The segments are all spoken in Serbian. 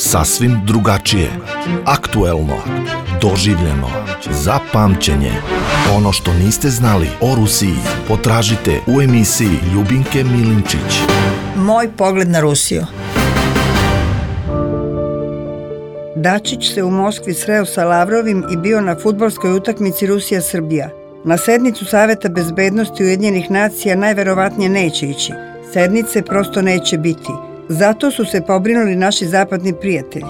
Sasvim drugačije, aktuelno, doživljeno, za pamćenje. Ono što niste znali o Rusiji potražite u emisiji Ljubinke Milinčić. Moj pogled na Rusiju. Dačić se u Moskvi sreo sa Lavrovim i bio na fudbalskoj utakmici Rusija-Srbija. Na sednicu Saveta bezbednosti Ujedinjenih nacija najverovatnije neće ići. Sednice prosto neće biti. Zato su se pobrinuli naši zapadni prijatelji.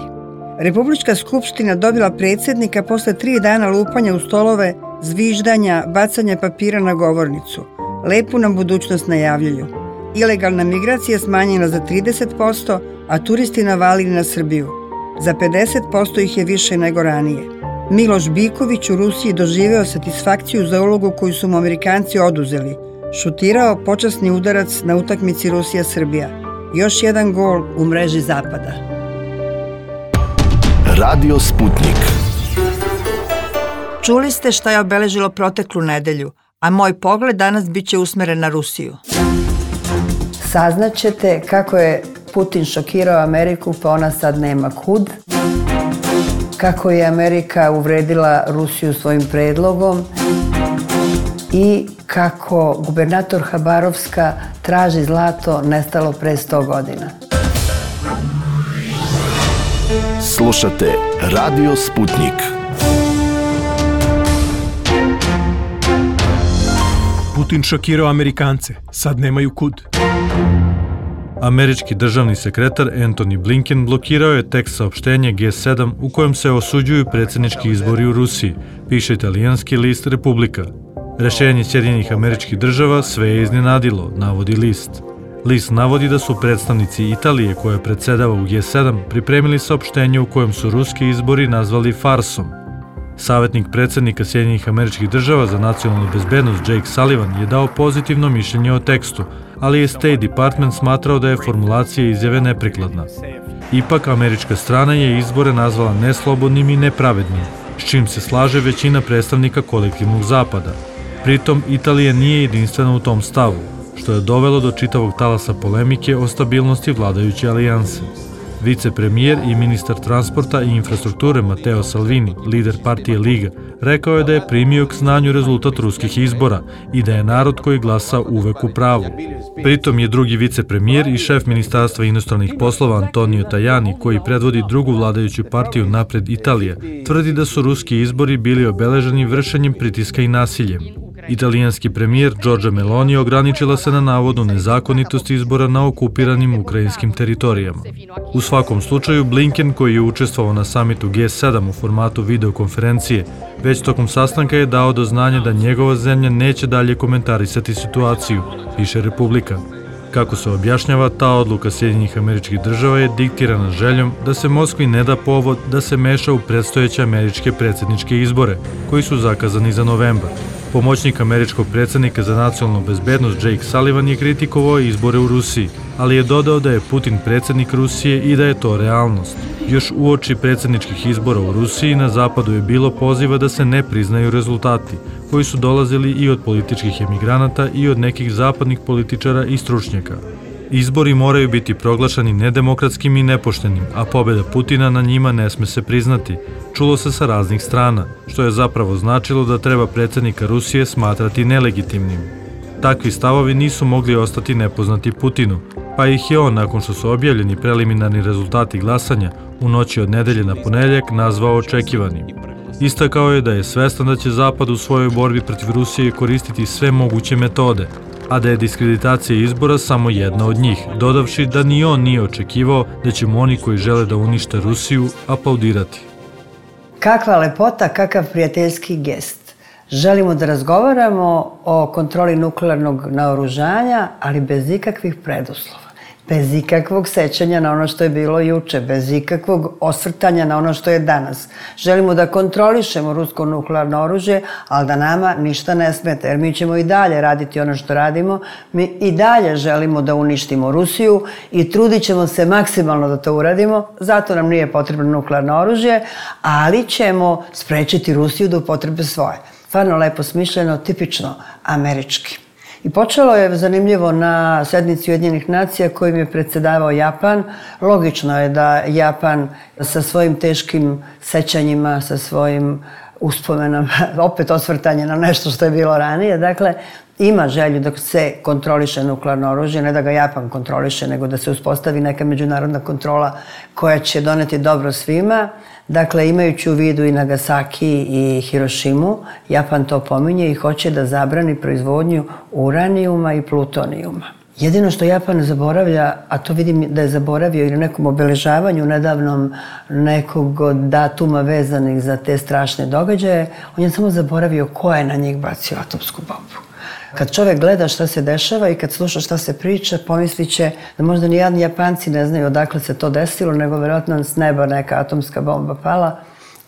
Republička skupština dobila predsjednika posle 3 dana lupanja u stolove, zviždanja, bacanja papira na govornicu. Lepu nam budućnost najavljuju. Ilegalna migracija smanjena za 30%, a turisti navalili na Srbiju. Za 50% ih je više nego ranije. Miloš Biković u Rusiji doživeo satisfakciju za ulogu koju su mu Amerikanci oduzeli. Šutirao počasni udarac na utakmici Rusija-Srbija. Još jedan gol u mreži Zapada. Radio Sputnik. Čuli ste šta je obeležilo proteklu nedelju, a moj pogled danas biće usmeren na Rusiju. Saznaćete kako je Putin šokirao Ameriku, pa ona sad nema kud. Kako je Amerika uvredila Rusiju svojim predlogom i kako gubernator Habarovska traži zlato nestalo pre 100 godina. Slušate Radio Sputnik. Putin šokirao Amerikance, sad nemaju kud. Američki državni sekretar Antony Blinken blokirao je tekst saopštenja G7 u kojem se osuđuju predsjednički izbori u Rusiji, piše italijanski list Republika. Rešenje Sjedinjenih Američkih Država sve je iznenadilo, navodi list. List navodi da su predstavnici Italije, koja predsedava u G7, pripremili saopštenje u kojem su ruski izbori nazvali farsom. Savetnik predsjednika Sjedinjenih Američkih Država za nacionalnu bezbednost Jake Sullivan je dao pozitivno mišljenje o tekstu, ali je State Department smatrao da je formulacija izjave neprikladna. Ipak, američka strana je izbore nazvala neslobodnim i nepravednim, s čim se slaže većina predstavnika kolektivnog zapada. Pritom, Italija nije jedinstvena u tom stavu, što je dovelo do čitavog talasa polemike o stabilnosti vladajuće alijanse. Vicepremijer i ministar transporta i infrastrukture Matteo Salvini, lider partije Liga, rekao je da je primio k znanju rezultat ruskih izbora i da je narod koji glasa uvek u pravu. Pritom je drugi vicepremijer i šef Ministarstva inostranih poslova Antonio Tajani, koji predvodi drugu vladajuću partiju Napred Italija, tvrdi da su ruski izbori bili obeleženi vršenjem pritiska i nasiljem. Italijanski premijer Giorgia Meloni ograničila se na navodnu nezakonitost izbora na okupiranim ukrajinskim teritorijama. U svakom slučaju, Blinken, koji je učestvovao na samitu G7 u formatu videokonferencije, već tokom sastanka je dao do znanja da njegova zemlja neće dalje komentarisati situaciju, piše Republika. Kako se objašnjava, ta odluka Sjedinjenih Američkih Država je diktirana željom da se Moskvi ne da povod da se meša u predstojeće američke predsjedničke izbore, koji su zakazani za novembar. Pomoćnik američkog predsjednika za nacionalnu bezbednost Jake Sullivan je kritikovao izbore u Rusiji, ali je dodao da je Putin predsjednik Rusije i da je to realnost. Još uoči predsjedničkih izbora u Rusiji na zapadu je bilo poziva da se ne priznaju rezultati, koji su dolazili i od političkih emigranata i od nekih zapadnih političara i stručnjaka. Izbori moraju biti proglašani nedemokratskim i nepoštenim, a pobjeda Putina na njima ne sme se priznati, čulo se sa raznih strana, što je zapravo značilo da treba predsjednika Rusije smatrati nelegitimnim. Takvi stavovi nisu mogli ostati nepoznati Putinu, pa ih je on, nakon što su objavljeni preliminarni rezultati glasanja, u noći od nedelje na ponedjeljak nazvao očekivanim. Istakao je da je svestan da će Zapad u svojoj borbi protiv Rusije koristiti sve moguće metode, a da je diskreditacija izbora samo jedna od njih, dodavši da ni on nije očekivao da će mu oni koji žele da unište Rusiju aplaudirati. Kakva lepota, kakav prijateljski gest. Želimo da razgovaramo o kontroli nuklearnog naoružanja, ali bez ikakvih preduslova. Bez ikakvog sećanja na ono što je bilo juče, bez ikakvog osvrtanja na ono što je danas. Želimo da kontrolišemo rusko nuklearno oružje, ali da nama ništa ne smeta, jer mi ćemo i dalje raditi ono što radimo. Mi i dalje želimo da uništimo Rusiju i trudit ćemo se maksimalno da to uradimo, zato nam nije potrebno nuklearno oružje, ali ćemo sprečiti Rusiju da upotrebe svoje. Stvarno lepo smišljeno, tipično američki. I počelo je zanimljivo na sednici Ujedinjenih nacija kojim je predsjedavao Japan. Logično je da Japan sa svojim teškim sećanjima, sa svojim uspomenama, opet osvrtanje na nešto što je bilo ranije, dakle, ima želju da se kontroliše nuklearno oružje, ne da ga Japan kontroliše, nego da se uspostavi neka međunarodna kontrola koja će doneti dobro svima. Dakle, imajući u vidu i Nagasaki i Hirošimu, Japan to pominje i hoće da zabrani proizvodnju uranijuma i plutonijuma. Jedino što Japan zaboravlja, a to vidim da je zaboravio i na nekom obeležavanju nedavnom nekog datuma vezanih za te strašne događaje, on je samo zaboravio ko je na njih bacio atomsku bombu. Kad čovjek gleda šta se dešava i kad sluša šta se priča, pomislit će da možda ni Japanci ne znaju odakle se to desilo, nego vjerojatno s neba neka atomska bomba pala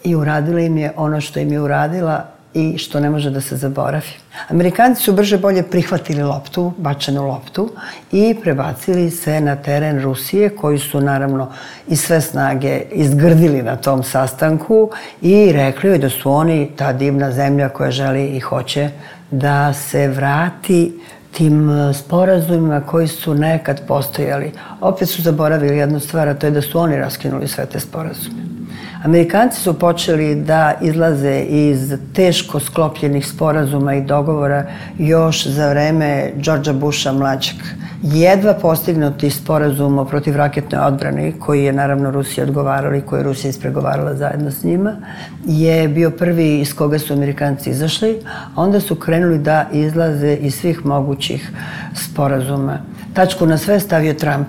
i uradila im je ono što im je uradila i što ne može da se zaboravi. Amerikanci su brže bolje prihvatili loptu, bačenu loptu, i prebacili se na teren Rusije, koji su naravno i sve snage izgrdili na tom sastanku i rekli joj da su oni ta divna zemlja koja želi i hoće da se vrati tim sporazumima koji su nekad postojali. Opet su zaboravili jednu stvar, a to je da su oni raskinuli sve te sporazume. Amerikanci su počeli da izlaze iz teško sklopljenih sporazuma i dogovora još za vreme Georgea Busha mlađeg. Jedva postignuti sporazum o protivraketnoj odbrani, koji je naravno Rusija odgovarala i koji je Rusija ispregovarala zajedno s njima, je bio prvi iz koga su Amerikanci izašli, a onda su krenuli da izlaze iz svih mogućih sporazuma. Tačku na sve stavio Trump.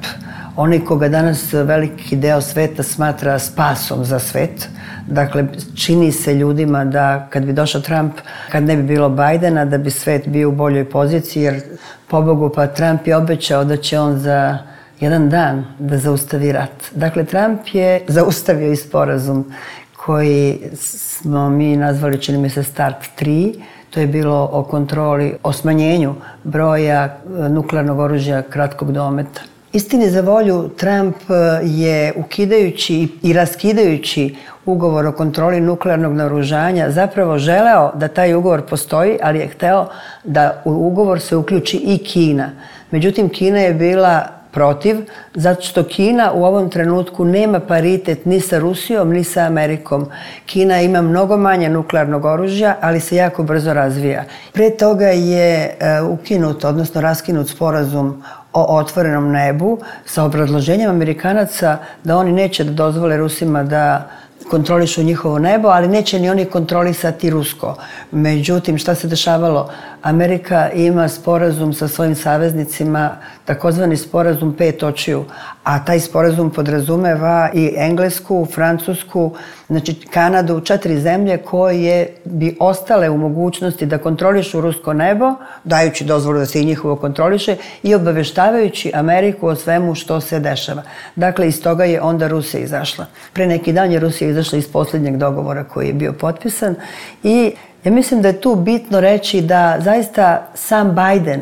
Onaj koga danas veliki deo sveta smatra spasom za svet. Dakle, čini se ljudima da kad bi došao Trump, kad ne bi bilo Bajdena, da bi svet bio u boljoj poziciji, jer pobogu pa Trump je obećao da će on za jedan dan da zaustavi rat. Dakle, Trump je zaustavio i sporazum koji smo mi nazvali, čini mi se, Start 3. To je bilo o kontroli, o smanjenju broja nuklearnog oružja kratkog dometa. Istini za volju, Trump je ukidajući i raskidajući ugovor o kontroli nuklearnog naoružanja zapravo želeo da taj ugovor postoji, ali je hteo da u ugovor se uključi i Kina. Međutim, Kina je bila protiv, zato što Kina u ovom trenutku nema paritet ni sa Rusijom, ni sa Amerikom. Kina ima mnogo manje nuklearnog oružja, ali se jako brzo razvija. Pre toga je ukinut, odnosno raskinut sporazum o otvorenom nebu sa obrazloženjem Amerikanaca da oni neće da dozvole Rusima da kontrolišu njihovo nebo, ali neće ni oni kontrolisati rusko. Međutim, šta se dešavalo? Amerika ima sporazum sa svojim saveznicima, takozvani sporazum 5 očiju, a taj sporazum podrazumeva i Englesku, Francusku, znači Kanadu, 4 zemlje koje bi ostale u mogućnosti da kontrolišu rusko nebo, dajući dozvolu da se i njihovo kontroliše i obaveštavajući Ameriku o svemu što se dešava. Dakle, iz toga je onda Rusija izašla. Pre neki dan je Rusija izašla iz posljednjeg dogovora koji je bio potpisan i ja mislim da je tu bitno reći da zaista sam Biden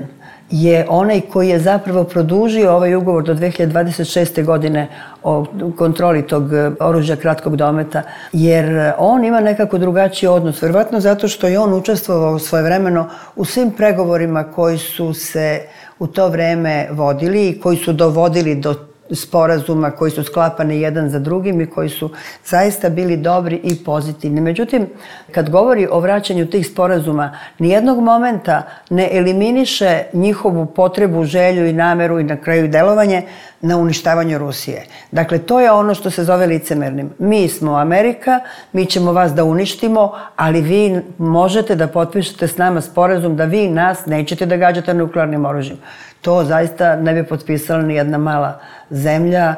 je onaj koji je zapravo produžio ovaj ugovor do 2026. godine o kontroli tog oružja kratkog dometa, jer on ima nekako drugačiji odnos, verovatno zato što je on učestvovao svojevremeno u svim pregovorima koji su se u to vreme vodili i koji su dovodili do sporazuma koji su sklapani jedan za drugim i koji su zaista bili dobri i pozitivni. Međutim, kad govori o vraćanju tih sporazuma, nijednog momenta ne eliminiše njihovu potrebu, želju i nameru i na kraju delovanje na uništavanju Rusije. Dakle, to je ono što se zove licemernim. Mi smo Amerika, mi ćemo vas da uništimo, ali vi možete da potpišete s nama sporazum da vi nas nećete da gađate nuklearnim oružjem. To zaista ne bi potpisala ni jedna mala zemlja,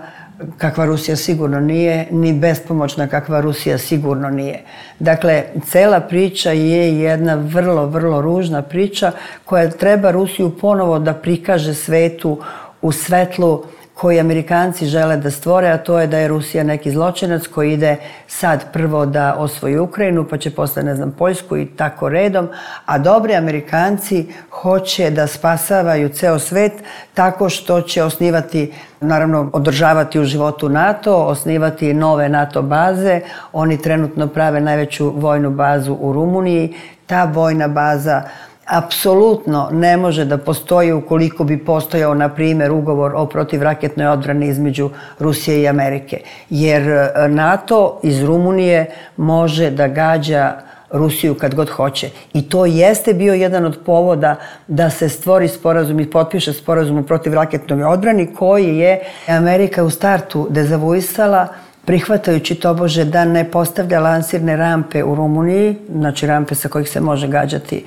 kakva Rusija sigurno nije, ni bespomoćna kakva Rusija sigurno nije. Dakle, cela priča je jedna vrlo, vrlo ružna priča koja treba Rusiju ponovo da prikaže svetu u svetlu koji Amerikanci žele da stvore, a to je da je Rusija neki zločinac koji ide sad prvo da osvoji Ukrajinu, pa će posle, ne znam, Poljsku i tako redom, a dobri Amerikanci hoće da spasavaju ceo svet tako što će osnivati, naravno održavati u životu NATO, osnivati nove NATO baze. Oni trenutno prave najveću vojnu bazu u Rumuniji. Ta vojna baza apsolutno ne može da postoji ukoliko bi postojao, na primjer, ugovor o protivraketnoj odbrani između Rusije i Amerike. Jer NATO iz Rumunije može da gađa Rusiju kad god hoće. I to jeste bio jedan od povoda da se stvori sporazum i potpiše sporazum o protivraketnoj odbrani koji je Amerika u startu dezavuisala, prihvatajući tobože da ne postavlja lansirne rampe u Rumuniji, znači rampe sa kojih se može gađati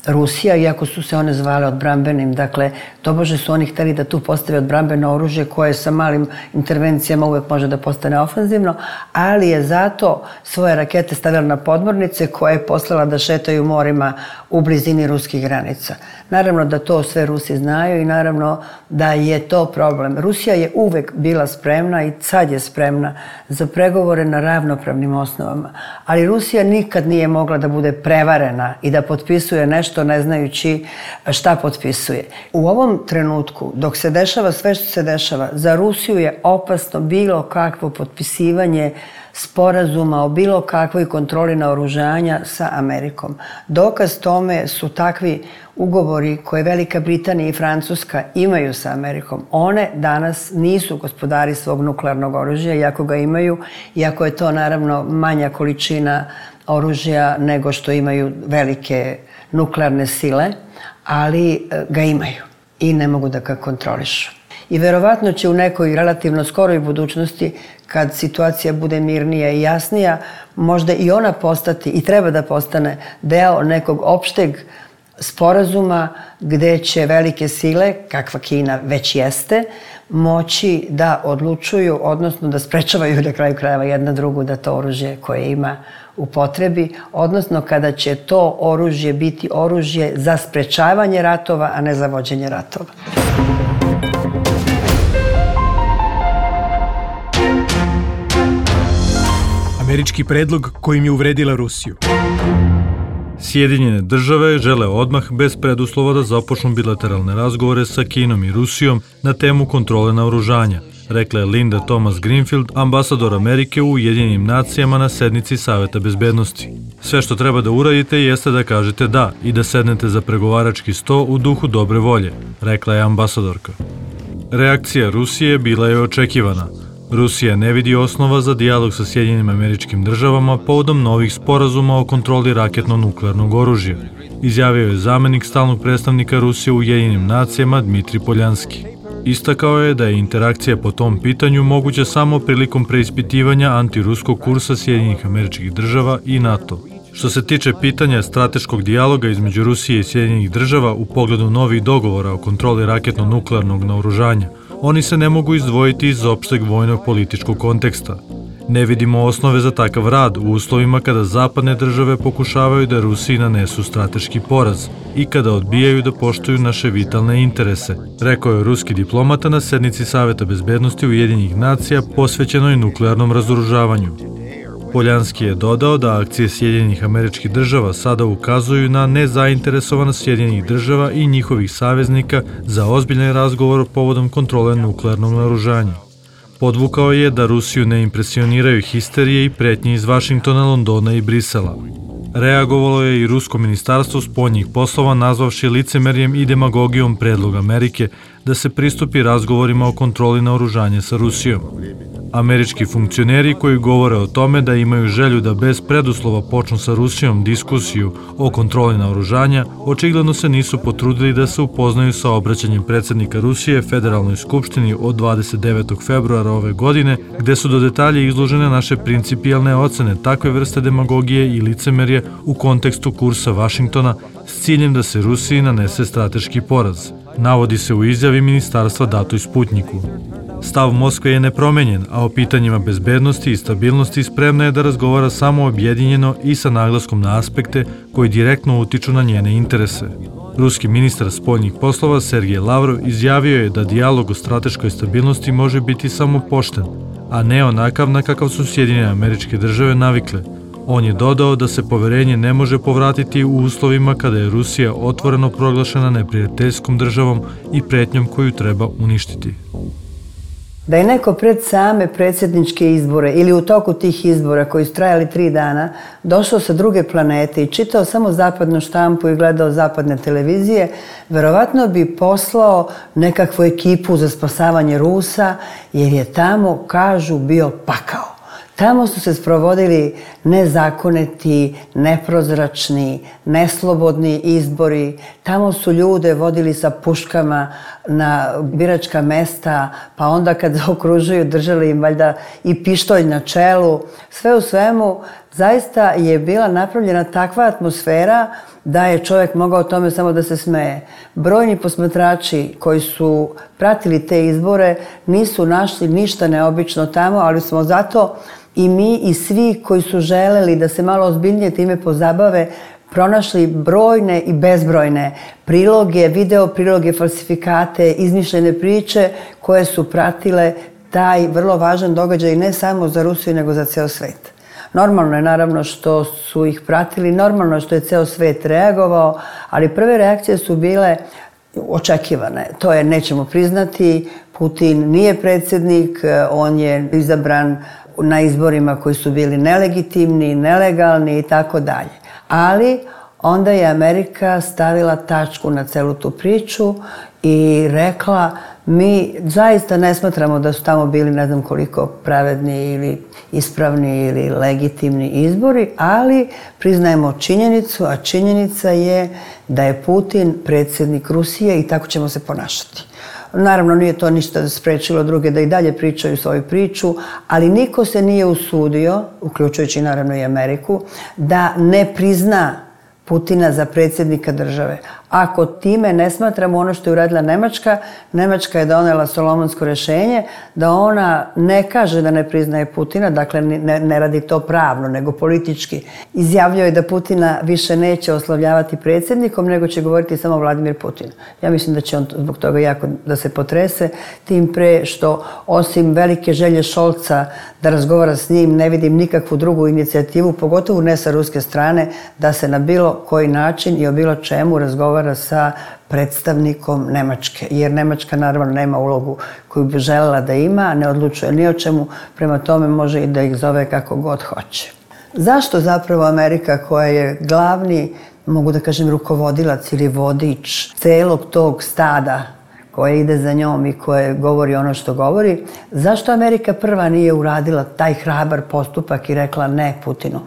Rusija, iako su se one zvale odbrambenim. Dakle, tobože su oni hteli da tu postave odbrambeno oružje koje sa malim intervencijama uvek može da postane ofanzivno, ali je zato svoje rakete stavila na podmornice koje je poslala da šetaju morima u blizini ruskih granica. Naravno da to sve Rusi znaju i naravno da je to problem. Rusija je uvek bila spremna i sad je spremna za pregovore na ravnopravnim osnovama, ali Rusija nikad nije mogla da bude prevarena i da potpisuje nešto ne znajući šta potpisuje. U ovom trenutku, dok se dešava sve što se dešava, za Rusiju je opasno bilo kakvo potpisivanje sporazuma o bilo kakvoj kontroli naoružanja sa Amerikom. Dokaz tome su takvi ugovori koje Velika Britanija i Francuska imaju sa Amerikom. One danas nisu gospodari svog nuklearnog oružja, iako ga imaju, iako je to naravno manja količina oružja nego što imaju velike nuklearne sile, ali ga imaju i ne mogu da ga kontrolišu. I verovatno će u nekoj relativno skoroj budućnosti, kad situacija bude mirnija i jasnija, možda i ona postati i treba da postane deo nekog opšteg sporazuma gde će velike sile, kakva Kina već jeste, moći da odlučuju, odnosno da sprečavaju na kraju krajeva jedna drugu da to oružje koje ima upotrebi, odnosno kada će to oružje biti oružje za sprečavanje ratova, a ne za vođenje ratova. Američki predlog kojim je uvredila Rusiju. Sjedinjene države žele odmah bez preduslova da započnu bilateralne razgovore sa Kinom i Rusijom na temu kontrole naoružanja, rekla je Linda Thomas Greenfield, ambasador Amerike u Ujedinjenim nacijama na sednici Saveta bezbednosti. Sve što treba da uradite jeste da kažete da i da sednete za pregovarački sto u duhu dobre volje, rekla je ambasadorka. Reakcija Rusije bila je očekivana. Rusija ne vidi osnova za dijalog sa Sjedinjenim Američkim Državama povodom novih sporazuma o kontroli raketno-nuklearnog oružja, izjavio je zamenik stalnog predstavnika Rusije u Ujedinjenim nacijama Dmitri Poljanski. Istakao je da je interakcija po tom pitanju moguća samo prilikom preispitivanja antiruskog kursa Sjedinjenih Američkih Država i NATO. Što se tiče pitanja strateškog dijaloga između Rusije i Sjedinjenih Država u pogledu novih dogovora o kontroli raketno-nuklearnog naoružanja, oni se ne mogu izdvojiti iz opšteg vojnog političkog konteksta. Ne vidimo osnove za takav rad u uslovima kada zapadne države pokušavaju da Rusiji nanesu strateški poraz i kada odbijaju da poštuju naše vitalne interese, rekao je ruski diplomata na sednici Saveta bezbednosti Ujedinjenih nacija posvećenoj nuklearnom razoružavanju. Poljanski je dodao da akcije Sjedinjenih Američkih Država sada ukazuju na nezainteresovanost Sjedinjenih Država i njihovih saveznika za ozbiljan razgovor povodom kontrole nuklearnog naoružanja. Podvukao je da Rusiju ne impresioniraju histerije i pretnje iz Vašingtona, Londona i Brisela. Reagovalo je i Rusko ministarstvo spoljnih poslova nazvavši licemerjem i demagogijom predlog Amerike da se pristupi razgovorima o kontroli naoružanja sa Rusijom. Američki funkcioneri koji govore o tome da imaju želju da bez preduslova počnu sa Rusijom diskusiju o kontroli naoružanja, očigledno se nisu potrudili da se upoznaju sa obraćanjem predsjednika Rusije Federalnoj skupštini od 29. februara ove godine, gde su do detalja izložene naše principijalne ocene takve vrste demagogije i licemerje u kontekstu kursa Vašingtona s ciljem da se Rusiji nanese strateški poraz, navodi se u izjavi ministarstva datoj Sputniku. Stav Moskve je nepromenjen, a o pitanjima bezbednosti i stabilnosti spremna je da razgovara samo objedinjeno i sa naglaskom na aspekte koji direktno utiču na njene interese. Ruski ministar spoljnih poslova Sergej Lavrov izjavio je da dijalog o strateškoj stabilnosti može biti samo pošten, a ne onakav na kakav su Sjedinjene Američke Države navikle. On je dodao da se poverenje ne može povratiti u uslovima kada je Rusija otvoreno proglašena neprijateljskom državom i pretnjom koju treba uništiti. Da je neko pred same predsjedničke izbore ili u toku tih izbora koji su trajali 3 dana došao sa druge planete i čitao samo zapadnu štampu i gledao zapadne televizije, verovatno bi poslao nekakvu ekipu za spasavanje Rusa, jer je tamo, kažu, bio pakao. Tamo su se sprovodili nezakoniti, neprozračni, neslobodni izbori. Tamo su ljude vodili sa puškama na biračka mesta, pa onda kad okružuju držali im valjda i pištolj na čelu. Sve u svemu, zaista je bila napravljena takva atmosfera da je čovjek mogao tome samo da se smeje. Brojni posmatrači koji su pratili te izbore nisu našli ništa neobično tamo, ali smo zato i mi i svi koji su želeli da se malo ozbiljnije time pozabave pronašli brojne i bezbrojne priloge, video priloge, falsifikate, izmišljene priče koje su pratile taj vrlo važan događaj ne samo za Rusiju nego za ceo svet. Normalno je naravno što su ih pratili, normalno je što je ceo svet reagovao, ali prve reakcije su bile očekivane. To je, nećemo priznati, Putin nije predsjednik, on je izabran na izborima koji su bili nelegitimni, nelegalni i tako dalje. Ali onda je Amerika stavila tačku na celu tu priču i rekla: mi zaista ne smatramo da su tamo bili ne znam koliko pravedni ili ispravni ili legitimni izbori, ali priznajemo činjenicu, a činjenica je da je Putin predsjednik Rusije i tako ćemo se ponašati. Naravno, nije to ništa sprečilo druge da i dalje pričaju svoju priču, ali niko se nije usudio, uključujući naravno i Ameriku, da ne prizna Putina za predsjednika države. Ako time ne smatramo ono što je uradila Nemačka, Nemačka je donela solomonsko rješenje da ona ne kaže da ne priznaje Putina, dakle ne radi to pravno, nego politički. Izjavljuje da Putina više neće oslovljavati predsjednikom, nego će govoriti samo Vladimir Putin. Ja mislim da će on zbog toga jako da se potrese, tim pre što osim velike želje Šolca da razgovara s njim, ne vidim nikakvu drugu inicijativu, pogotovo ne sa ruske strane, da se na bilo koji način i o bilo čemu razgovara sa predstavnikom Nemačke, jer Nemačka naravno nema ulogu koju bi željela da ima, ne odlučuje ni o čemu, prema tome može i da ih zove kako god hoće. Zašto zapravo Amerika, koja je glavni, mogu da kažem, rukovodilac ili vodič celog tog stada koje ide za njom i koje govori ono što govori, zašto Amerika prva nije uradila taj hrabar postupak i rekla ne Putinu?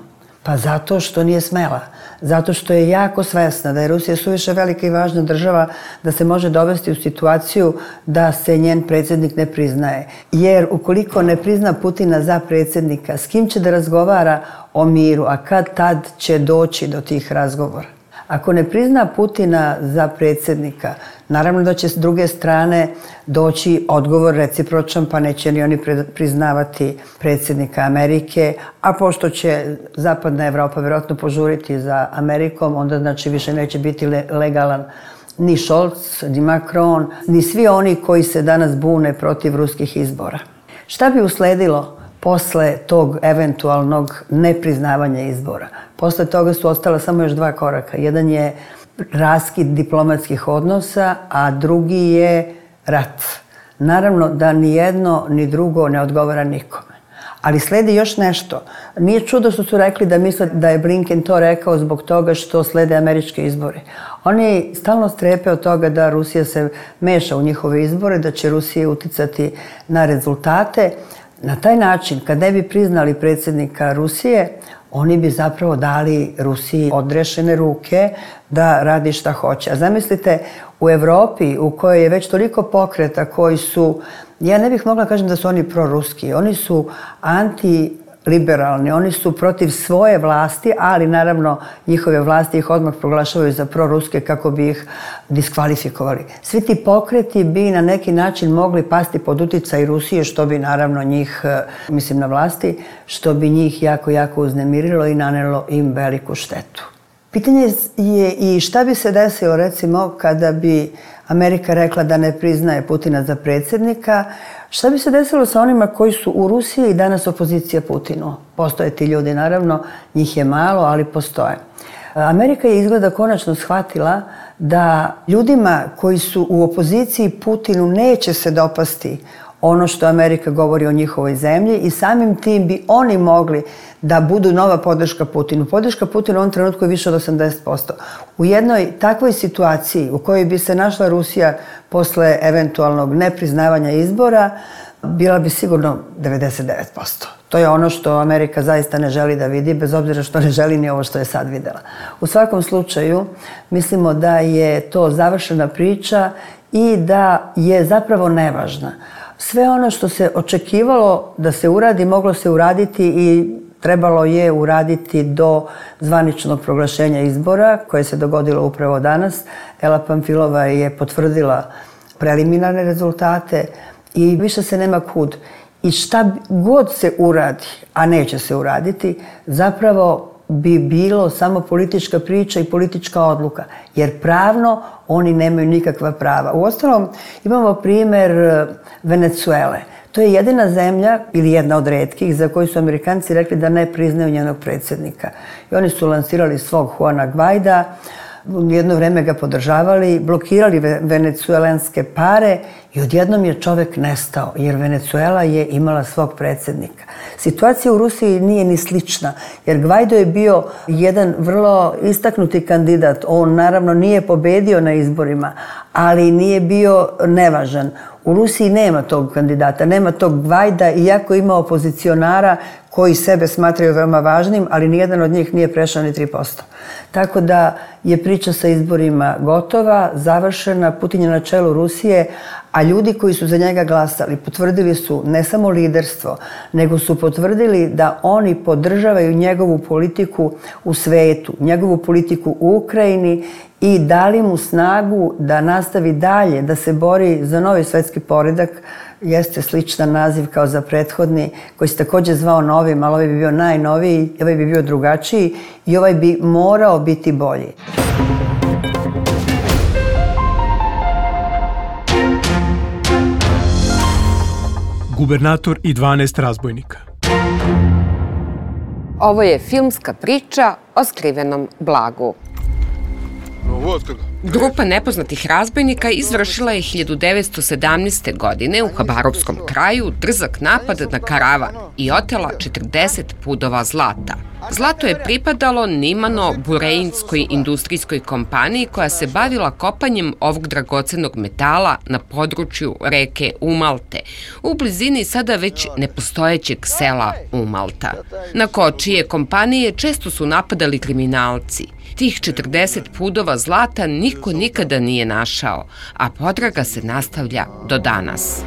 Pa zato što nije smela. Zato što je jako svesna da je Rusija suviše velika i važna država da se može dovesti u situaciju da se njen predsjednik ne priznaje. Jer ukoliko ne prizna Putina za predsjednika, s kim će da razgovara o miru, a kad tad će doći do tih razgovora? Ako ne prizna Putina za predsjednika, naravno da će s druge strane doći odgovor recipročan, pa neće ni oni priznavati predsjednika Amerike, a pošto će zapadna Evropa vjerojatno požuriti za Amerikom, onda znači više neće biti legalan ni Scholz, ni Macron, ni svi oni koji se danas bune protiv ruskih izbora. Šta bi usledilo posle tog eventualnog nepriznavanja izbora? Posle toga su ostala samo još 2 koraka. Jedan je raskid diplomatskih odnosa, a drugi je rat. Naravno da ni jedno ni drugo ne odgovara nikome. Ali sledi još nešto. Nije čudo što su rekli da misle da je Blinken to rekao zbog toga što slede američke izbore. Oni stalno strepe od toga da Rusija se meša u njihove izbore, da će Rusija uticati na rezultate. Na taj način, kad ne bi priznali predsjednika Rusije, oni bi zapravo dali Rusiji odrešene ruke da radi šta hoće. A zamislite, u Evropi u kojoj je već toliko pokreta koji su, ja ne bih mogla kažem da su oni proruski, oni su antiliberalni, oni su protiv svoje vlasti, ali naravno njihove vlasti ih odmah proglašavaju za proruske kako bi ih diskvalifikovali. Svi ti pokreti bi na neki način mogli pasti pod uticaj Rusije, što bi naravno njih, mislim na vlasti, što bi njih jako, jako uznemirilo i nanelo im veliku štetu. Pitanje je i šta bi se desilo recimo kada bi Amerika rekla da ne priznaje Putina za predsjednika, šta bi se desilo sa onima koji su u Rusiji i danas opozicija Putinu? Postoje ti ljudi naravno, njih je malo, ali postoje. Amerika je izgleda konačno shvatila da ljudima koji su u opoziciji Putinu neće se dopasti ono što Amerika govori o njihovoj zemlji i samim tim bi oni mogli da budu nova podrška Putinu. Podrška Putinu u ovom trenutku je više od 80%. U jednoj takvoj situaciji u kojoj bi se našla Rusija posle eventualnog nepriznavanja izbora, bila bi sigurno 99%. To je ono što Amerika zaista ne želi da vidi, bez obzira što ne želi ni ovo što je sad videla. U svakom slučaju, mislimo da je to završena priča i da je zapravo nevažna. Sve ono što se očekivalo da se uradi, moglo se uraditi i trebalo je uraditi do zvaničnog proglašenja izbora, koje se dogodilo upravo danas. Ela Pamfilova je potvrdila preliminarne rezultate i više se nema kud. I šta god se uradi, a neće se uraditi, zapravo bi bilo samo politička priča i politička odluka. Jer pravno oni nemaju nikakva prava. Uostalom, imamo primer Venecuele. To je jedina zemlja, ili jedna od retkih, za koju su Amerikanci rekli da ne priznaju njenog predsjednika. I oni su lansirali svog Juana Guaida, jedno vreme ga podržavali, blokirali venecuelanske pare i odjednom je čovek nestao, jer Venecuela je imala svog predsjednika. Situacija u Rusiji nije ni slična, jer Guaido je bio jedan vrlo istaknuti kandidat. On naravno nije pobedio na izborima, ali nije bio nevažan. U Rusiji nema tog kandidata, nema tog Guaida, iako ima opozicionara koji sebe smatraju veoma važnim, ali nijedan od njih nije prešao ni 3%. Tako da je priča sa izborima gotova, završena, Putin je na čelu Rusije, a ljudi koji su za njega glasali potvrdili su ne samo liderstvo, nego su potvrdili da oni podržavaju njegovu politiku u svetu, njegovu politiku u Ukrajini i dali mu snagu da nastavi dalje, da se bori za novi svetski poredak. Jeste sličan naziv kao za prethodni, koji se također zvao novim, ali ovaj bi bio najnoviji, ovaj bi bio drugačiji i ovaj bi morao biti bolji. Gubernator i 12 razbojnika. Ovo je filmska priča o skrivenom blagu. Grupa nepoznatih razbojnika izvršila je 1917. godine u Habarovskom kraju drzak napad na karavan i otela 40 pudova zlata. Zlato je pripadalo Nimano Bureinskoj industrijskoj kompaniji koja se bavila kopanjem ovog dragocenog metala na području reke Umalte, u blizini sada već nepostojećeg sela Umalta. Na kočije kompanije često su napadali kriminalci. Tih 40 pudova zlata niko nikada nije našao, a potraga se nastavlja do danas.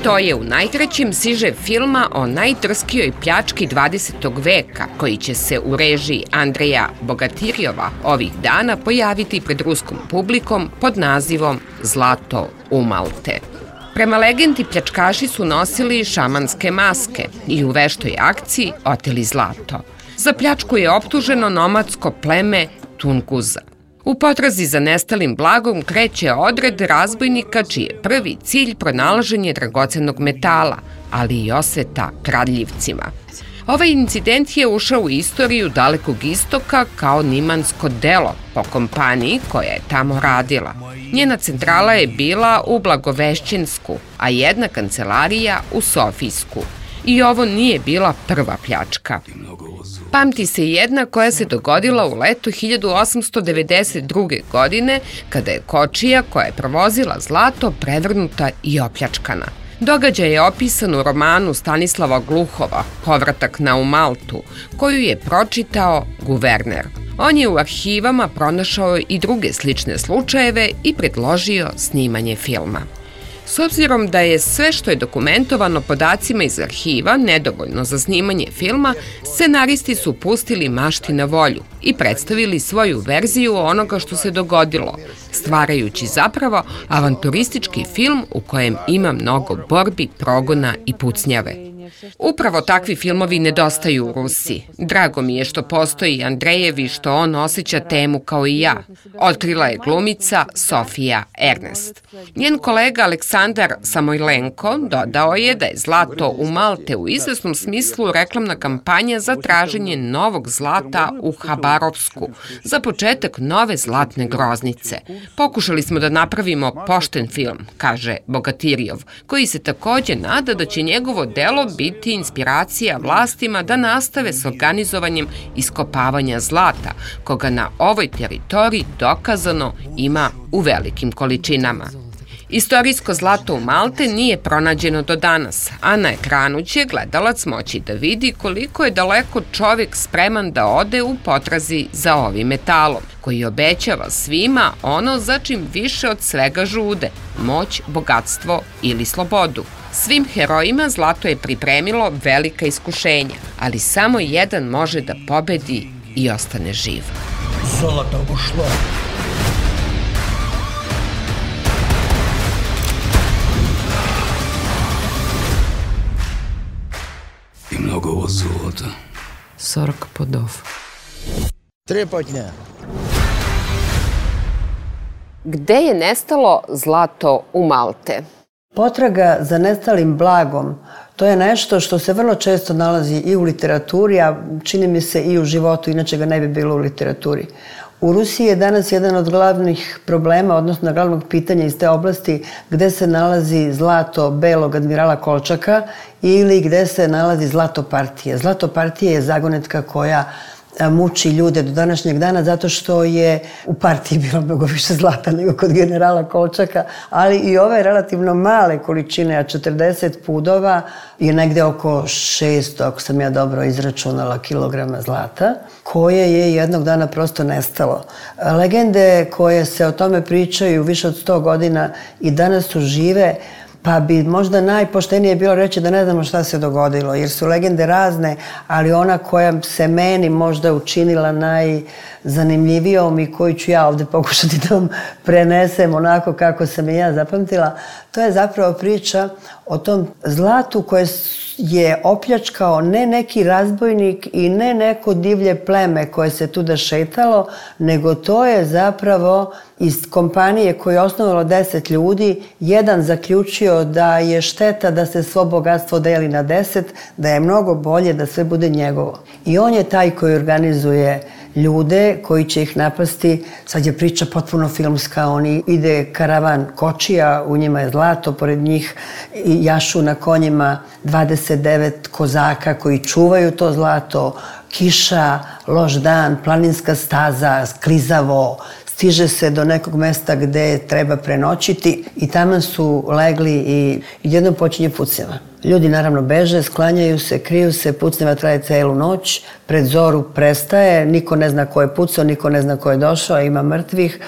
To je u najkraćem siže filma o najdrskijoj pljački 20. veka, koji će se u režiji Andreja Bogatirjova ovih dana pojaviti pred ruskom publikom pod nazivom Zlato Umalte. Prema legendi, pljačkaši su nosili šamanske maske i u veštoj akciji oteli zlato. Za pljačku je optuženo nomadsko pleme Tunguza. U potrazi za nestalim blagom kreće odred razbojnika čiji je prvi cilj pronalaženje dragocenog metala, ali i osveta kradljivcima. Ovaj incident je ušao u istoriju Dalekog istoka kao nimansko delo po kompaniji koja je tamo radila. Njena centrala je bila u Blagovešćensku, a jedna kancelarija u Sofijsku. I ovo nije bila prva pljačka. Pamti se jedna koja se dogodila u letu 1892. godine, kada je kočija koja je provozila zlato prevrnuta i opljačkana. Događaj je opisan u romanu Stanislava Gluhova Povratak na Umaltu, koju je pročitao guverner. On je u arhivama pronašao i druge slične slučajeve i predložio snimanje filma. S obzirom da je sve što je dokumentovano podacima iz arhiva nedovoljno za snimanje filma, scenaristi su pustili mašti na volju i predstavili svoju verziju onoga što se dogodilo, stvarajući zapravo avanturistički film u kojem ima mnogo borbi, progona i pucnjave. Upravo takvi filmovi nedostaju u Rusiji. Drago mi je što postoji Andrejev i što on osjeća temu kao i ja. Otkrila je glumica Sofija Ernest. Njen kolega Aleksandar Samojlenko dodao je da je Zlato u Malte u izvesnom smislu reklamna kampanja za traženje novog zlata u Habarovsku, za početak nove zlatne groznice. Pokušali smo da napravimo pošten film, kaže Bogatirjov, koji se takođe nada da će njegovo delo biti inspiracija vlastima da nastave s organizovanjem iskopavanja zlata, koga na ovoj teritoriji dokazano ima u velikim količinama. Istorijsko zlato u Malte nije pronađeno do danas, a na ekranu će gledalac moći da vidi koliko je daleko čovjek spreman da ode u potrazi za ovim metalom, koji obećava svima ono za čim više od svega žude, moć, bogatstvo ili slobodu. Svim herojima zlato je pripremilo velika iskušenja, ali samo jedan može da pobedi i ostane živ. Zlato ušlo. I mnogo ovo zlata. 40 podov. Trepotnja. Gde je nestalo zlato u Malte? Potraga za nestalim blagom, to je nešto što se vrlo često nalazi i u literaturi, a čini mi se i u životu, inače ga ne bi bilo u literaturi. U Rusiji je danas jedan od glavnih problema, odnosno glavnog pitanja iz te oblasti, gde se nalazi zlato belog admirala Kolčaka ili gde se nalazi zlato partije. Zlato partije je zagonetka koja muči ljude do današnjeg dana zato što je u partiji bilo mnogo više zlata nego kod generala Kolčaka, ali i ove relativno male količine, a 40 pudova je negde oko 600, ako sam ja dobro izračunala, kilograma zlata, koje je jednog dana prosto nestalo. Legende koje se o tome pričaju više od 100 godina i danas su žive, pa bi možda najpoštenije bilo reći da ne znamo šta se dogodilo, jer su legende razne, ali ona koja se meni možda učinila najzanimljivijom i koju ću ja ovde pokušati da vam prenesem onako kako sam je ja zapamtila, to je zapravo priča o tom zlatu koje je opljačkao ne neki razbojnik i ne neko divlje pleme koje se tuda šetalo, nego to je zapravo iz kompanije koju je osnovalo 10 ljudi, jedan zaključio da je šteta da se svo bogatstvo deli na 10, da je mnogo bolje da sve bude njegovo. I on je taj koji organizuje ljude koji će ih napasti. Sad je priča potpuno filmska, oni ide karavan kočija, u njima je zlato, pored njih jašu na konjima 29 kozaka koji čuvaju to zlato, kiša, loš dan, planinska staza, sklizavo, stiže se do nekog mesta gde treba prenoćiti i tamo su legli i jednom počinje pucnjava. Ljudi naravno beže, sklanjaju se, kriju se, pucnjava traje celu noć, pred zoru prestaje, niko ne zna ko je pucao, niko ne zna ko je došao, ima mrtvih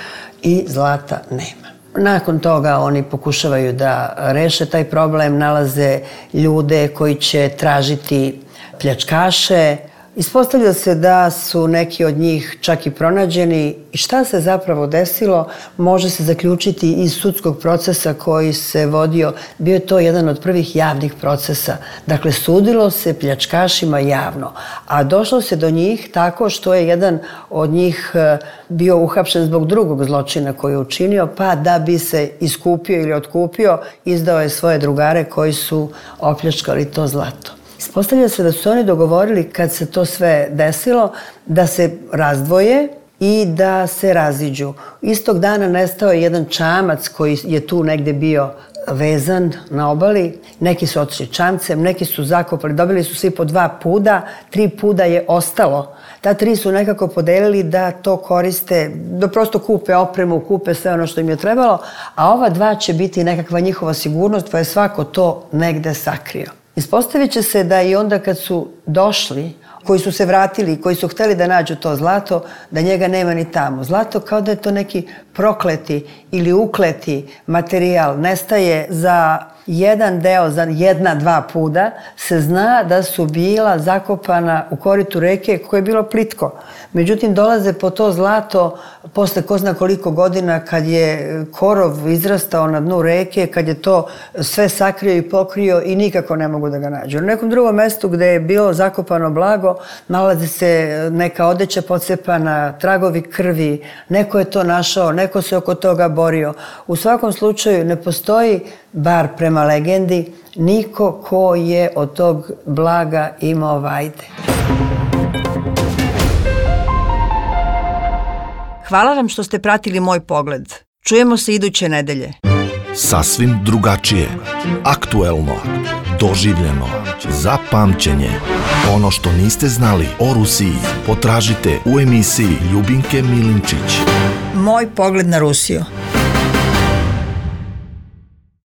i zlata nema. Nakon toga oni pokušavaju da reše taj problem, nalaze ljude koji će tražiti pljačkaše. Ispostavlja se da su neki od njih čak i pronađeni i šta se zapravo desilo može se zaključiti iz sudskog procesa koji se vodio. Bio je to jedan od prvih javnih procesa. Dakle, sudilo se pljačkašima javno, a došlo se do njih tako što je jedan od njih bio uhapšen zbog drugog zločina koji je učinio, pa da bi se iskupio ili otkupio, izdao je svoje drugare koji su opljačkali to zlato. Ispostavlja se da su oni dogovorili kad se to sve desilo da se razdvoje i da se raziđu. Istog dana nestao je jedan čamac koji je tu negde bio vezan na obali. Neki su otišli čamcem, neki su zakopali, dobili su svi po 2 puda, 3 puda je ostalo. Ta 3 su nekako podelili da to koriste, da prosto kupe opremu, kupe sve ono što im je trebalo, a ova 2 će biti nekakva njihova sigurnost, pa je svako to negde sakrio. Ispostavit će se da i onda kad su došli, koji su se vratili, koji su hteli da nađu to zlato, da njega nema ni tamo. Zlato kao da je to neki prokleti ili ukleti materijal, nestaje za jedan deo, za 1-2 puda, se zna da su bila zakopana u koritu reke koje je bilo plitko. Međutim, dolaze po to zlato posle ko zna koliko godina kad je korov izrastao na dnu reke, kad je to sve sakrio i pokrio i nikako ne mogu da ga nađu. Na nekom drugom mestu gde je bilo zakopano blago nalazi se neka odeća pocepana, tragovi krvi, neko je to našao, neko se oko toga borio. U svakom slučaju ne postoji, bar prema legendi, niko ko je od tog blaga imao vajde. Hvala vam što ste pratili Moj pogled. Čujemo se iduće nedelje. Sasvim drugačije, aktuelno, doživljeno, za pamćenje. Ono što niste znali o Rusiji potražite u emisiji Ljubinke Milinčić. Moj pogled na Rusiju.